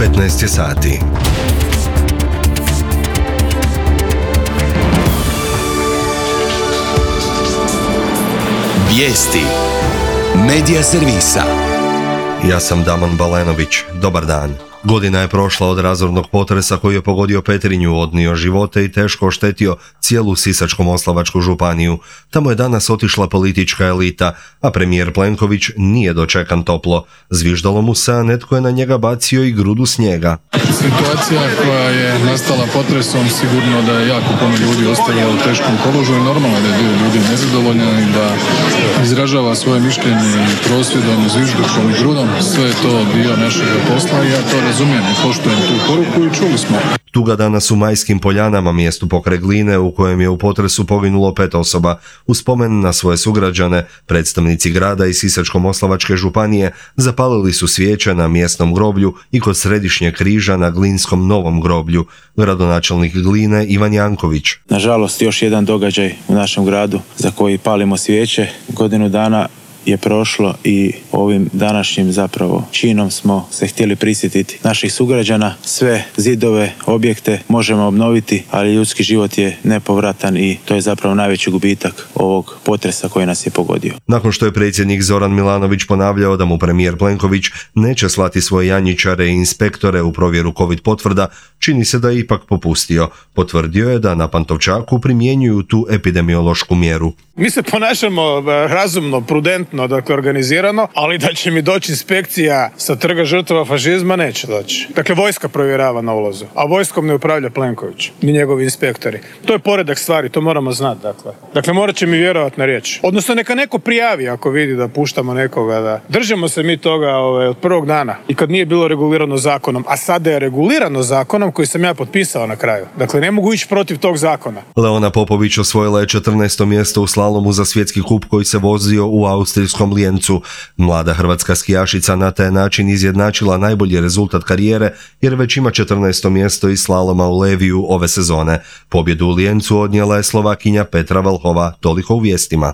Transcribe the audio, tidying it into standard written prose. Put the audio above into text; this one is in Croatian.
15 sati. Vijesti Medija servisa. Ja sam Damon Balenović. Dobar dan. Godina je prošla od razornog potresa koji je pogodio Petrinju, odnio živote i teško oštetio cijelu Sisačko-moslavačku županiju. Tamo je danas otišla politička elita, a premijer Plenković nije dočekan toplo. Zviždalo mu se, a netko je na njega bacio i grudu snijega. Situacija koja je nastala potresom sigurno da je jako puno ljudi ostavilo u teškom položaju. Normalno da je dio ljudi nezadovoljan i da izražava svoje mišljenje i prosvjedom, zviždukom i grudom. Sve je to dio našeg posla i ja to razumijem i poštujem tu poruku i čuli smo. Tuga danas u Majskim Poljanama, mjestu pokraj Gline u kojem je u potresu poginulo 5 osoba. U spomen na svoje sugrađane, predstavnici grada i Sisačko-moslavačke županije zapalili su svijeće na mjesnom groblju i kod središnjeg križa na Glinskom novom groblju. Gradonačelnik Gline Ivan Janković. Nažalost, još jedan događaj u našem gradu za koji palimo svijeće. Godinu dana je prošlo i ovim današnjim zapravo činom smo se htjeli prisjetiti naših sugrađana. Sve zidove, objekte možemo obnoviti, ali ljudski život je nepovratan i to je zapravo najveći gubitak ovog potresa koji nas je pogodio. Nakon što je predsjednik Zoran Milanović ponavljao da mu premijer Plenković neće slati svoje janjičare i inspektore u provjeru COVID potvrda, čini se da je ipak popustio. Potvrdio je da na Pantovčaku primjenjuju tu epidemiološku mjeru. Mi se ponašamo razumno, prudentno, dakle organizirano, ali da će mi doći inspekcija sa trga žrtava fašizma, neće doći. Dakle, vojska provjerava na ulazu, a vojskom ne upravlja Plenković, ni njegovi inspektori. To je poredak stvari, to moramo znati, Dakle, morat će mi vjerovati na riječ. Odnosno, neka neko prijavi ako vidi da puštamo nekoga, da držimo se mi toga od prvog dana i kad nije bilo regulirano zakonom, a sada je regulirano zakonom koji sam ja potpisao na kraju. Dakle, ne mogu ići protiv tog zakona. Leona Popović osvojila je 14. mjesto u slalomu za svjetski kup koji se vozio u austrijskom Lijencu. Mlada hrvatska skijašica na taj način izjednačila najbolji rezultat karijere jer već ima 14. mjesto iz slaloma u Leviju ove sezone. Pobjedu u Lijencu odnijela je Slovakinja Petra Vlhova. Toliko u vijestima.